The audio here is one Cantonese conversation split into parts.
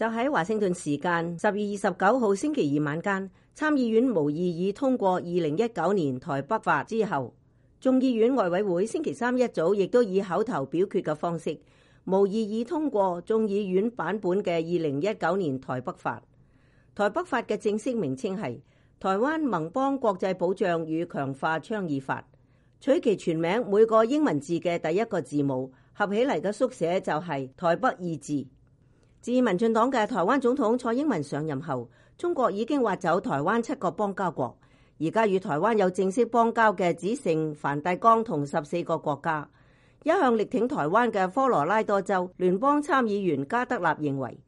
就喺華盛頓時間12月29號星期二晚間，參議院無異議通過2019年台北法之後，眾議院外委會星期三一早亦都以口頭表決嘅方式無異議通過眾議院版本嘅2019年台北法。台北法嘅正式名稱係台灣盟邦國際保障與強化倡議法，取其全名每個英文字嘅第一個字母合起嚟嘅縮寫就係台北二字。自民進黨嘅台灣總統蔡英文上任後，中國已經挖走台灣7個邦交國，而家與台灣有正式邦交嘅只剩梵蒂岡同14個國家。一向力挺台灣嘅科羅拉多州聯邦參議員加德納認為，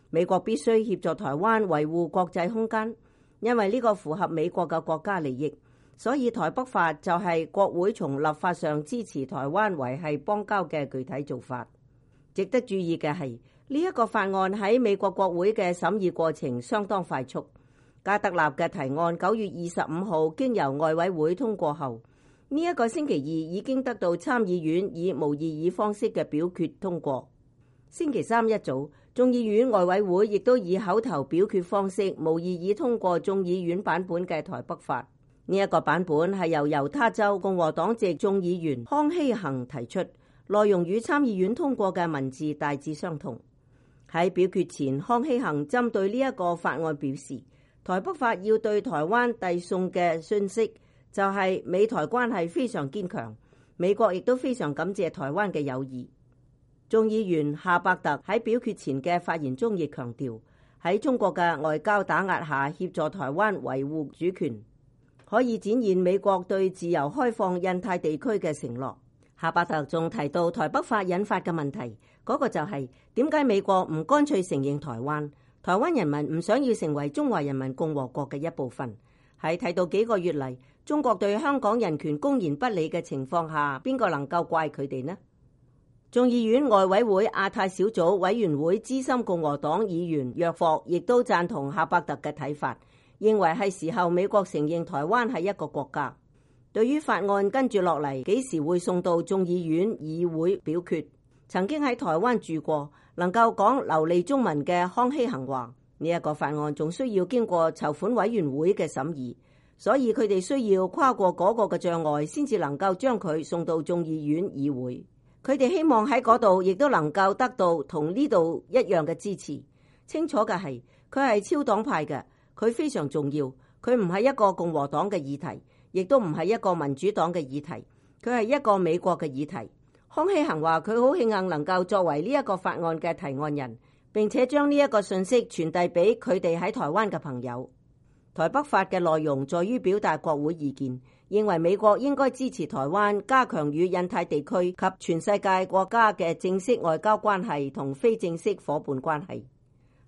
美國必須協助台灣維護國際空間，因為呢個符合美國嘅國家利益，所以台北法就係國會從立法上支持台灣維繫邦交嘅具體做法。值得注意嘅係，呢一個法案喺美國國會嘅審議過程相當快速。加德納嘅提案9月25號經由外委會通過後，呢一個星期二已經得到參議院以無異議方式嘅表決通過。星期三一早，眾議院外委會亦都以口頭表決方式無異議通過眾議院版本嘅台北法。呢一個版本係由猶他州共和黨籍眾議員康希恆提出，內容與參議院通過嘅文字大致相同。喺表決前，康希恆針對呢一個法案表示，台北法要對台灣遞送嘅訊息就係美台關係非常堅強，美國亦都非常感謝台灣嘅友誼。眾議員夏伯特喺表決前嘅發言中亦強調，喺中國嘅外交打壓下協助台灣維護主權，可以展現美國對自由開放印太地區嘅承諾。夏伯特仲提到台北法引發嘅問題，嗰個就係點解美國唔乾脆承認台灣？台灣人民唔想要成為中華人民共和國嘅一部分。喺睇到幾個月嚟中國對香港人權公然不理嘅情況下，邊個能夠怪佢哋呢？眾議院外委會亞太小組委員會資深共和黨議員約霍亦都贊同夏伯特嘅睇法，認為係時候美國承認台灣係一個國家。對於法案跟住落嚟幾時會送到眾議院議會表決，曾經喺台灣住過，能夠講流利中文嘅康希恆話，呢一個法案仲需要經過籌款委員會嘅審議，所以佢哋需要跨過嗰個嘅障礙，先至能夠將佢送到眾議院議會。佢哋希望喺嗰度亦都能夠得到同呢度一樣嘅支持。清楚嘅係，佢係超黨派嘅，佢非常重要，佢唔係一個共和黨嘅議題，亦都唔係一個民主黨嘅議題，佢係一個美國嘅議題。康希恆話佢好慶幸能夠作為呢一個法案嘅提案人，並且將呢一個信息傳遞俾佢哋喺台灣嘅朋友。台北法嘅內容在於表達國會意見，認為美國應該支持台灣加強與印太地區及全世界國家嘅正式外交關係同非正式夥伴關係。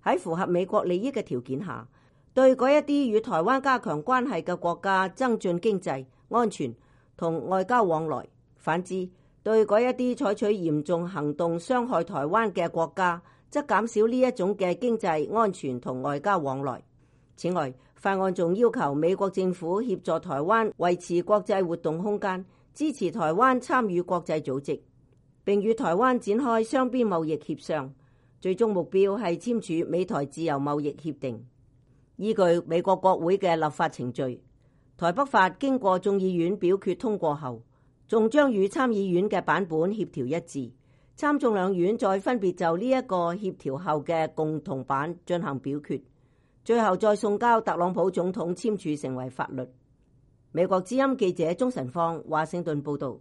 喺符合美國利益嘅條件下，對嗰一啲與台灣加強關係嘅國家增進經濟、安全同外交往來；反之，對嗰一啲採取嚴重行動傷害台灣嘅國家，則減少呢一種嘅經濟、安全同外交往來。此外，法案仲要求美國政府協助台灣維持國際活動空間，支持台灣參與國際組織，並與台灣展開雙邊貿易協商，最終目標係簽署美台自由貿易協定。依據美國國會嘅立法程序，台北法經過眾議院表決通過後，仲將與參議院嘅版本協調一致，參眾兩院再分別就呢一個協調後嘅共同版進行表決，最後再送交特朗普總統簽署成為法律。美國之音記者鍾晨芳華盛頓報道。